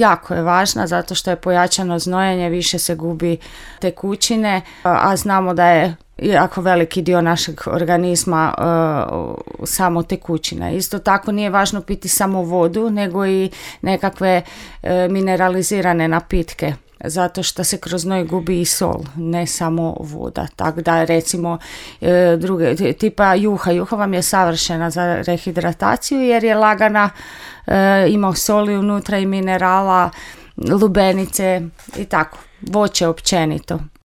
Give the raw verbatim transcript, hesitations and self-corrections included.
jako je važna zato što je pojačano znojenje, više se gubi tekućine, a znamo da je jako veliki dio našeg organizma uh, samo tekućina. Isto tako nije važno piti samo vodu, nego i nekakve uh, mineralizirane napitke, zato što se kroz znoj gubi i sol, ne samo voda. Tako da recimo uh, druge, tipa juha. Juha vam je savršena za rehidrataciju jer je lagana, uh, ima soli unutra i minerala, lubenice i tako, voće općenito.